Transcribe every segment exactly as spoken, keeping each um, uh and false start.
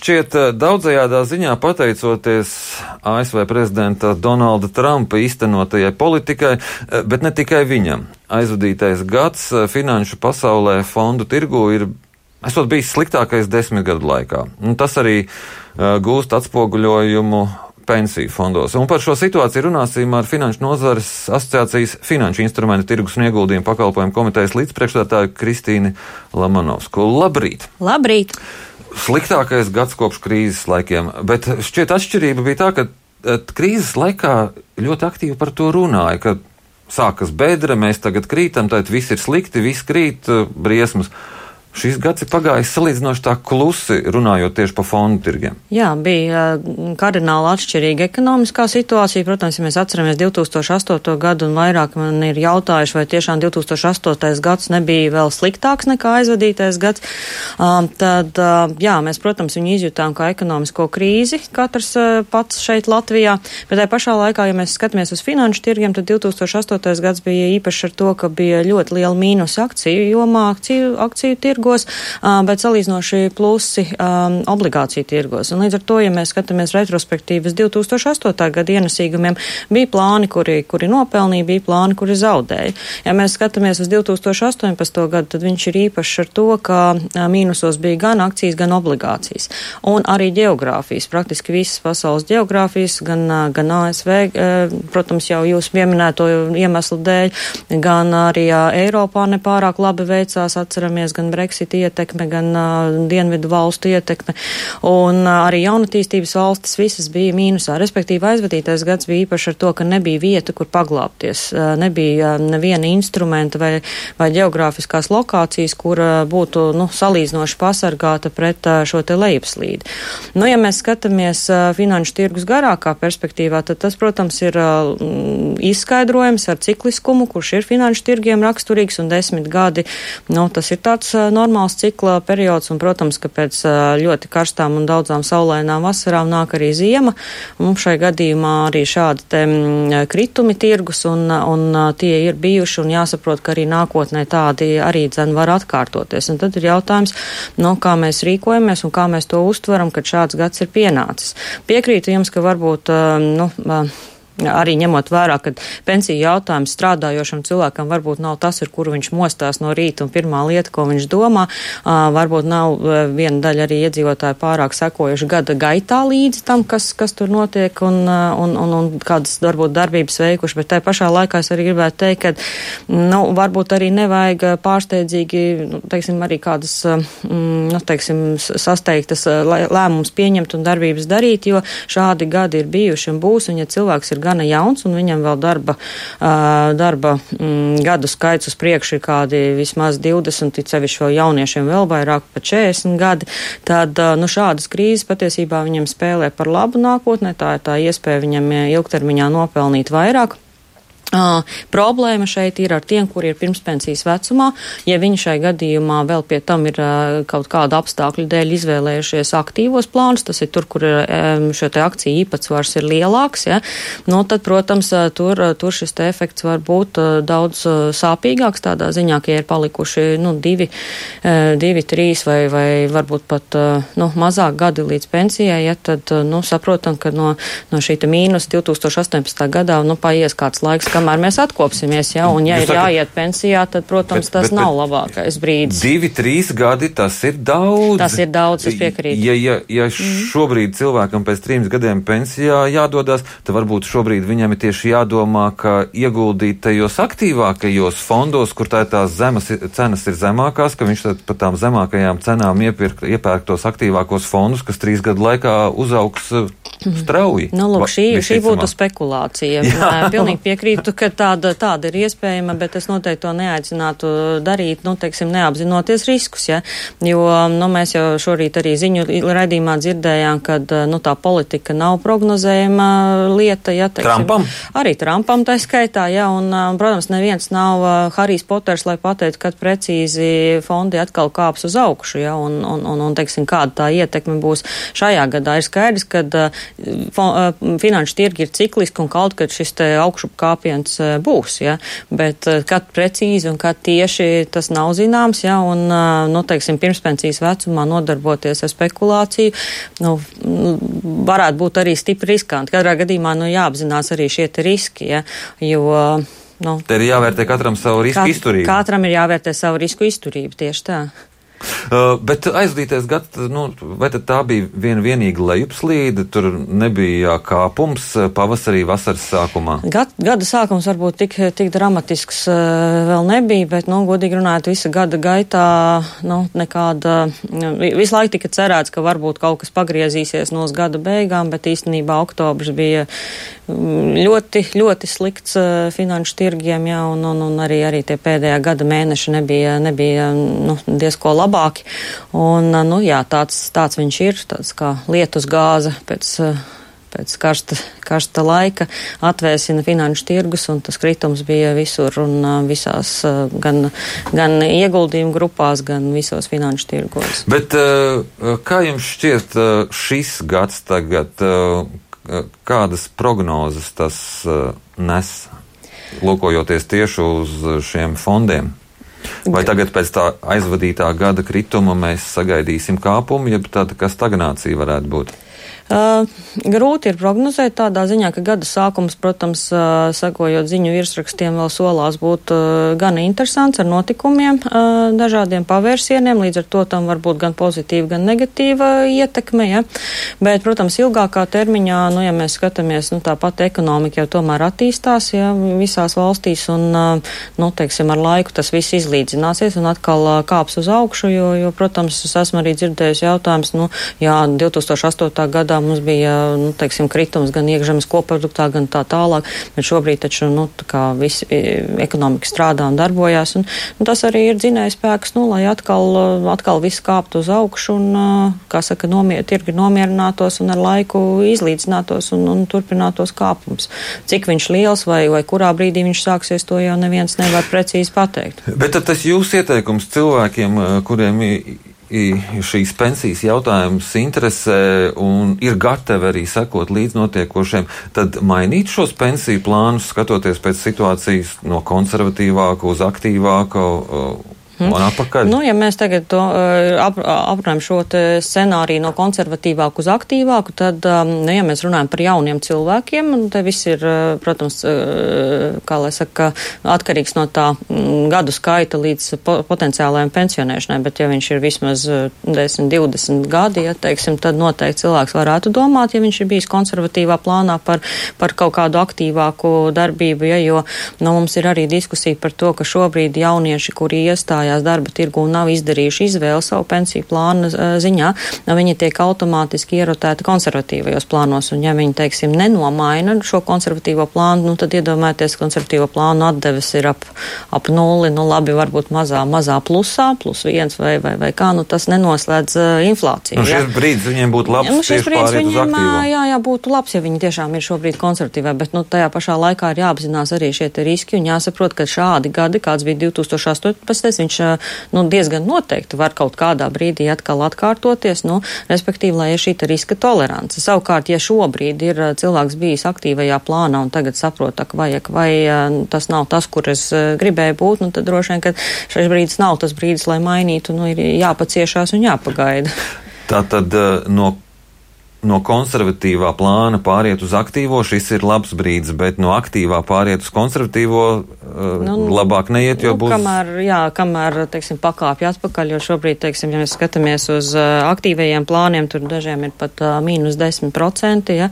šķiet daudzajādā ziņā pateicoties A S V prezidenta Donalda Trumpa īstenotajai politikai, bet ne tikai viņam. Aizvadītais gads finanšu pasaulē fondu tirgu ir esot bijis sliktākais desmit gadu laikā. Un tas arī uh, gūst atspoguļojumu pensiju fondos. Un par šo situāciju runāsim ar Finanšu nozares asociācijas finanšu instrumentu tirgus un ieguldījumu pakalpojumu komitejas līdzpriekšstādātāju Kristīni Lamanovsku. Labrīt! Labrīt! Sliktākais gads kopš krīzes laikiem, bet šķiet atšķirība bija tā, ka krīzes laikā ļoti aktīvi par to runāja, ka sākas bedra, mēs tagad krītam, tad viss ir slikti, viss krīt, briesmas. Šis gads ir pagājis salīdzinoši tā klusi, runājot tieši par fondu tirgiem. Jā, bija kardināli atšķirīga ekonomiskā situācija. Protams, ja mēs atceramies divi tūkstoši astoto gadu un vairāk man ir jautājuši, vai tiešām divi tūkstoši astotais gads nebija vēl sliktāks nekā aizvadītais gads, tad, jā, mēs, protams, viņu izjūtām kā ekonomisko krīzi, katrs pats šeit Latvijā, bet tajā pašā laikā, ja mēs skatāmies uz finanšu tirgiem, tad divi tūkstoši astotais gads bija īpaši ar to, ka bija ļoti liela mīnus akciju jomā, akciju, akciju tirgu, bet salīdzinoši plusi um, obligāciju tirgos. Un līdz ar to, ja mēs skatāmies retrospektīvas divi tūkstoši astotā gada ienesīgumiem, bija plāni, kuri, kuri nopelnīja, bija plāni, kuri zaudēja. Ja mēs skatāmies uz divi tūkstoši astoņpadsmito gadu, tad viņš ir īpašs ar to, ka mīnusos bija gan akcijas, gan obligācijas. Un arī geogrāfijas, praktiski visas pasaules geogrāfijas, gan, gan A S V, protams, jau jūs pieminēto iemeslu dēļ, gan arī Eiropā nepārāk labi veicās, atceramies, gan Brexit ietekme, gan uh, dienvidu valstu ietekme, un uh, arī jaunatīstības valstis visas bija mīnusā. Respektīvi, aizvadītais gads bija īpaši ar to, ka nebija vieta, kur paglāpties. Uh, nebija uh, neviena instrumenta vai, vai geogrāfiskās lokācijas, kur uh, būtu nu, salīdzinoši pasargāta pret uh, šo te lejupslīdi. Nu, ja mēs skatāmies uh, finanšu tirgus garākā perspektīvā, tad tas, protams, ir uh, izskaidrojums ar cikliskumu, kurš ir finanšu tirgiem raksturīgs, un desmit gadi, nu, tas ir tāds uh, normāls cikla periods, un, protams, ka pēc ļoti karstām un daudzām saulainām vasarām nāk arī ziema. Mums šai gadījumā arī šādi te kritumi tirgus, un, un tie ir bijuši, un jāsaprot, ka arī nākotnē tādi arī dzen var atkārtoties. Un tad ir jautājums, nu, kā mēs rīkojamies un kā mēs to uztveram, kad šāds gads ir pienācis. Piekrītu jums, ka varbūt, nu, arī ņemot vērā, ka pensiju jautājums strādājošam cilvēkam varbūt nav tas, ar kuru viņš mostās no rīta un pirmā lieta, ko viņš domā. Uh, varbūt nav uh, viena daļa arī iedzīvotāji pārāk sekojuši gada gaitā līdzi tam, kas, kas tur notiek un, uh, un, un, un kādas varbūt darbības veikuši, bet tai pašā laikā es arī gribētu teikt, ka nu, varbūt arī nevajag pārsteidzīgi, nu, teiksim, arī kādas, mm, nu, teiksim, sasteigtas lēmumus pieņemt un darbības darīt, jo šādi gadi ir bijuši un būs, un ja cilvēks ir gana jauns un viņam vēl darba, uh, darba mm, gadu skaits uz priekšu ir kādi vismaz divdesmit, it sevišķi vēl jauniešiem vēl vairāk pa četrdesmit gadi, tad uh, nu, šādas krīzes patiesībā viņam spēlē par labu nākotnē, tā ir tā iespēja viņam ilgtermiņā nopelnīt vairāk. Uh, problēma šeit ir ar tiem, kuri ir pirmspensijas vecumā. Ja viņi šai gadījumā vēl pie tam ir uh, kaut kāda apstākļu dēļ izvēlējušies aktīvos plānus, tas ir tur, kur um, šo te akciju īpatsvars ir lielāks, ja, nu tad, protams, uh, tur, uh, tur šis te efekts var būt uh, daudz uh, sāpīgāks tādā ziņā, ka ja ir palikuši, nu, divi, uh, divi, trīs vai, vai varbūt pat, uh, nu, mazāk gadi līdz pensijai, ja, tad, uh, nu, saprotam, ka no, no šī te mīnus divi tūkstoši astoņpadsmitā gadā, nu, paies kāds laiks, kamēr mēs atkopsimies, ja, un ja Jūs ir sakat, jāiet pensijā, tad, protams, bet, tas bet, nav bet, labākais brīdis. Divi, trīs gadi, tas ir daudz. Tas ir daudz, es piekrītu. Ja, ja, ja šobrīd mm. cilvēkam pēc trim gadiem pensijā jādodas, tad varbūt šobrīd viņam ir tieši jādomā, ka ieguldīt tajos aktīvākajos fondos, kur tā tās zemes cenas ir zemākās, ka viņš tad par tām zemākajām cenām iepirkt, iepērk tos aktīvākos fondus, kas trīs gadu laikā uzaugs strauji. Nu, lūk, šī, šī būtu spekulācija. Pilnīgi piekrītu, ka tāda, tāda ir iespējama, bet es noteikti to neaicinātu darīt, nu, teiksim, neapzinoties riskus, ja, jo, nu, mēs jau šorīt arī ziņu raidījumā dzirdējām, ka, nu, tā politika nav prognozējama lieta, ja, teiksim. Trumpam? Arī Trumpam tā skaitā, ja, un, protams, neviens nav Harijs Poters, lai pateikt, kad precīzi fondi atkal kāps uz augšu, ja, un, un, un, un teiksim, kāda tā ietekme būs šajā gadā. Ir skaidrs, ka finanšu tirgi ir cikliski un kaut kad šis te augšup kāpiens būs, ja, bet kad precīzi un kad tieši tas nav zināms, ja, un, nu, teiksim, pirmspensijas vecumā nodarboties ar spekulāciju, nu, varētu būt arī stipri riskanti. Katrā gadījumā, nu, jāapzinās arī šie te riski, ja, jo, nu. Te ir jāvērtē katram savu risku kat, izturību. Katram ir jāvērtē savu risku izturību, tieši tā. Uh, bet aizvadītais gads, nu, vai tad tā bija viena vienīga lejupslīde, tur nebija kāpums pavasarī, vasaras sākumā? Gad, gada sākums varbūt tik, tik dramatisks uh, vēl nebija, bet, nu, godīgi runājot, visa gada gaitā, nu, nekāda, visu laiku tika cerēts, ka varbūt kaut kas pagriezīsies no gada beigām, bet īstenībā oktobrs bija ļoti, ļoti slikts uh, finanšu tirgiem, jā, un, un, un arī, arī tie pēdējā gada mēneši nebija, nebija, nu, diezko labi. Labāki. Un, nu, jā, tāds, tāds viņš ir, tāds kā lietus gāze pēc, pēc karsta, karsta laika atvēsina finanšu tirgus, un tas kritums bija visur un visās, gan, gan ieguldījumu grupās, gan visos finanšu tirgos. Bet kā jums šķiet šis gads tagad, kādas prognozes tas nes, lūkojoties tieši uz šiem fondiem? Vai tagad pēc tā aizvadītā gada krituma mēs sagaidīsim kāpumu, ja tāda kā stagnācija varētu būt? Uh, grūti ir prognozēt tādā ziņā, ka gada sākums, protams, uh, sakojot ziņu virsrakstiem, vēl solās būt uh, gan interesants ar notikumiem, uh, dažādiem pavērsieniem, līdz ar to tam var būt gan pozitīva, gan negatīva ietekme, ja. Bet, protams, ilgākā termiņā, nu, ja mēs skatāmies, nu, tāpat ekonomika jau tomēr attīstās, ja, visās valstīs, un, uh, nu, teiksim, ar laiku tas viss izlīdzināsies un atkal uh, kāps uz augšu, jo, jo, protams, es esmu arī dzirdējusi jautājums, nu, jā, divtūkstoš astotajā gadā mums bija, nu, teiksim, kritums gan iekšzemes koproduktā, gan tā tālāk, bet šobrīd taču, nu, tā kā visi ekonomika strādā un darbojās, un, un tas arī ir dzinējspēks, nu, lai atkal, atkal viss kāptu uz augšu un, kā saka, nomier, tirgi nomierinātos un ar laiku izlīdzinātos un, un turpinātos kāpums. Cik viņš liels vai, vai kurā brīdī viņš sāksies, to jau neviens nevar precīzi pateikt. Bet tad tas jūsu ieteikums cilvēkiem, kuriem šīs pensijas jautājums interesē un ir gatavi arī sekot līdz notiekošiem, tad mainīt šos pensiju plānus, skatoties pēc situācijas no konservatīvāku uz aktīvāku un atpakaļ? Nu, ja mēs tagad to ap, aprunājam šo scenāriju no konservatīvāku uz aktīvāku, tad, nu, ja mēs runājam par jauniem cilvēkiem, un te viss ir, protams, kā lai saka, atkarīgs no tā gadu skaita līdz potenciālajiem pensionēšanai, bet ja viņš ir vismaz desmit, divdesmit gadi, ja, teiksim, tad noteikti cilvēks varētu domāt, ja viņš ir bijis konservatīvā plānā par, par kaut kādu aktīvāku darbību, ja, jo, nu, mums ir arī diskusija par to, ka šobrīd jaunieši, kuri iestāja darba tirgu un nav izdarījuši izvēli savu pensiju plānu ziņā, viņi tiek automātiski ierotēti konservatīvajos plānos, un ja viņi, teiksim, nenomaina šo konservatīvo plānu, nu tad iedomājieties, konservatīvo plānu atdeves ir ap, ap nulli, nu labi, varbūt mazā, mazā plusā, plus viens vai, vai, vai kā, nu tas nenoslēdz uh, inflāciju. Nu, šis brīdis viņiem būtu labs, nu, tieši pāriet uz aktīvo. Jā, jā, būtu labs, ja viņi tiešām ir šobrīd konservatīvā, bet, nu, tajā pašā laikā ir jāapzinās arī šie te riski un jāsaprot, ka šādi gadi, kāds bija divtūkstoš astoņpadsmitais, viņš nu, diezgan noteikti var kaut kādā brīdī atkal atkārtoties, nu, respektīvi, lai ir šī riska tolerance. Savukārt, ja šobrīd ir cilvēks bijis aktīvajā plānā un tagad saprot, ka vajag, vai tas nav tas, kur es gribēju būt, nu, tad droši vien, ka šis brīdis nav tas brīdis, lai mainītu, nu, ir jāpaciešās un jāpagaida. Tātad no No konservatīvā plāna pāriet uz aktīvo, šis ir labs brīdis, bet no aktīvā pāriet uz konservatīvo nu, labāk neiet, jo nu, būs... Kamēr, jā, kamēr, teiksim, pakāpja atpakaļ, jo šobrīd, teiksim, ja mēs skatāmies uz aktīvajiem plāniem, tur dažiem ir pat uh, mīnus desmit procenti, ja.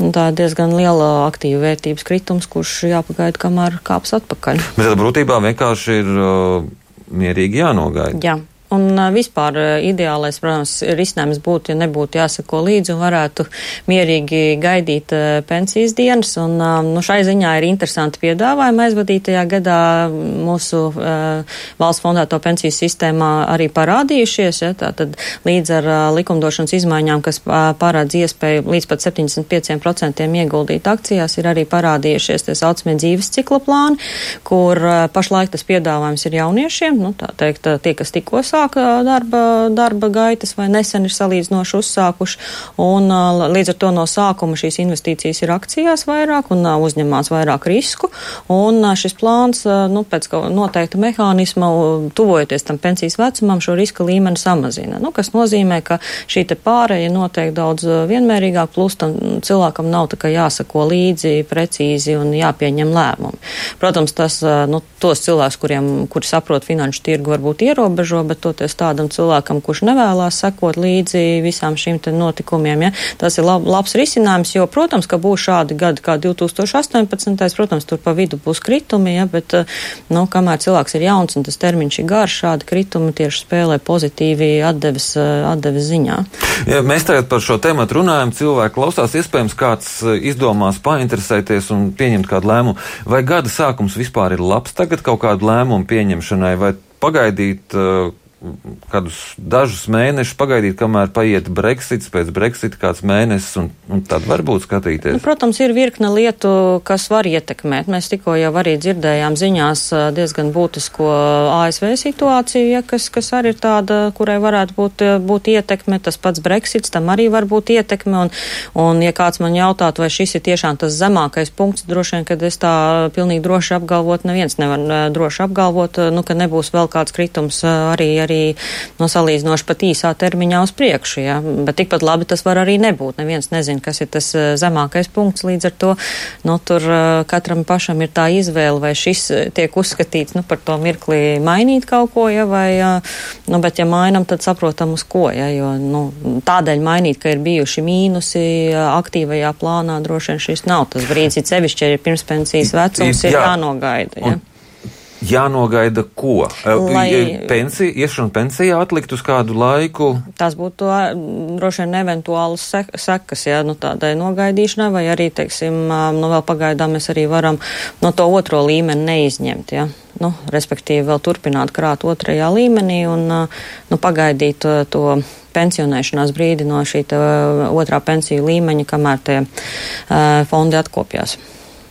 Un tā ir diezgan liela aktīva vērtības kritums, kurš jāpagaida, kamēr kāps atpakaļ. Bet tad būtībā vienkārši ir uh, mierīgi jānogaida. Jā. Un vispār ideālais, protams, risinājums būtu, ja nebūtu jāsako līdzi un varētu mierīgi gaidīt pensijas dienas. Un, nu, šai ziņā ir interesanti piedāvājumi aizvadītajā gadā mūsu uh, valsts fondēto pensiju sistēmā arī parādījušies. Ja, tātad līdz ar uh, likumdošanas izmaiņām, kas uh, parādz iespēju līdz pat septiņdesmit pieciem procentiem ieguldīt akcijās, ir arī parādījušies tie saucamie dzīves cikla plāni, kur uh, pašlaik tas piedāvājums ir jauniešiem, nu, tā teikt, tie, kas tikko sāk sāk darba, darba gaitas vai nesen ir salīdzinoši uzsākuši, un līdz ar to no sākuma šīs investīcijas ir akcijās vairāk un uzņemās vairāk risku, un šis plāns, nu, pēc noteikta mehānisma, tuvojoties tam pensijas vecumam, šo riska līmeni samazina, nu, kas nozīmē, ka šī te pāreja notiek daudz vienmērīgāk, plus tam cilvēkam nav tā kā jāsako līdzi precīzi un jāpieņem lēmumi. Protams, tas, nu, tos cilvēkus, kuriem, kuri saprot finanšu tirgu, varbūt ierobežo, bet toties tādam cilvēkam, kurš nevēlās sekot līdzi visām šīm te notikumiem, ja, tas ir lab, labs risinājums, jo, protams, ka būs šādi gadi kā divi tūkstoši astoņpadsmitais, protams, tur pa vidu būs kritumi, ja, bet, nu, kamēr cilvēks ir jauns un tas termiņš ir garš, šādi kritumi tieši spēlē pozitīvi atdeves, atdeves ziņā. Ja mēs tagad par šo tēmatu runājam, cilvēki klausās, iespējams, kāds izdomās painteresēties un pieņemt kādu lēmumu. Vai gada sākums vispār ir labs tagad kaut kādu lēmumu pieņemšanai, vai pagaidīt uh, kādus dažus mēnešus, pagaidīt, kamēr paiet Brexits, pēc Brexita kāds mēnesis, un, un tad varbūt skatīties? Nu, protams, ir virkne lietu, kas var ietekmēt. Mēs tikko jau arī dzirdējām ziņās diezgan būtisko A S V situāciju, ja, kas, kas arī ir tāda, kurai varētu būt, būt ietekme. Tas pats Brexits, tam arī var būt ietekme, un, un ja kāds man jautātu, vai šis ir tiešām tas zemākais punkts, droši vien, kad es tā pilnīgi droši apgalvot, neviens nevar droši apgalvot, nu, ka nebūs vēl kāds kritums arī arī no salīdzinoši pat īsā termiņā uz priekšu, ja? Bet tikpat labi tas var arī nebūt. Neviens nezina, kas ir tas zemākais punkts, līdz ar to, nu, tur katram pašam ir tā izvēle, vai šis tiek uzskatīts, nu, par to mirklī mainīt kaut ko, ja, vai, nu, bet ja mainam, tad saprotam uz ko, ja, jo, nu, tādēļ mainīt, ka ir bijuši mīnusi aktīvajā plānā, droši vien šis nav tas brīdis, it sevišķi, ja ir pirmspensijas vecums, ir jānogaida, ja. Jānogaida ko? Lai pensija, iešana pensijā atlikt uz kādu laiku? Tas būtu droši vien eventuālas sekas, ja, nu, tādai nogaidīšanai, vai arī, teiksim, nu, vēl pagaidām mēs arī varam no to otro līmeni neizņemt, ja. Nu, respektīvi vēl turpināt krāt otrajā līmenī un, nu, pagaidīt to, to pensionēšanās brīdi no šī otrā pensiju līmeņa, kamēr tie uh, fondi atkopjās.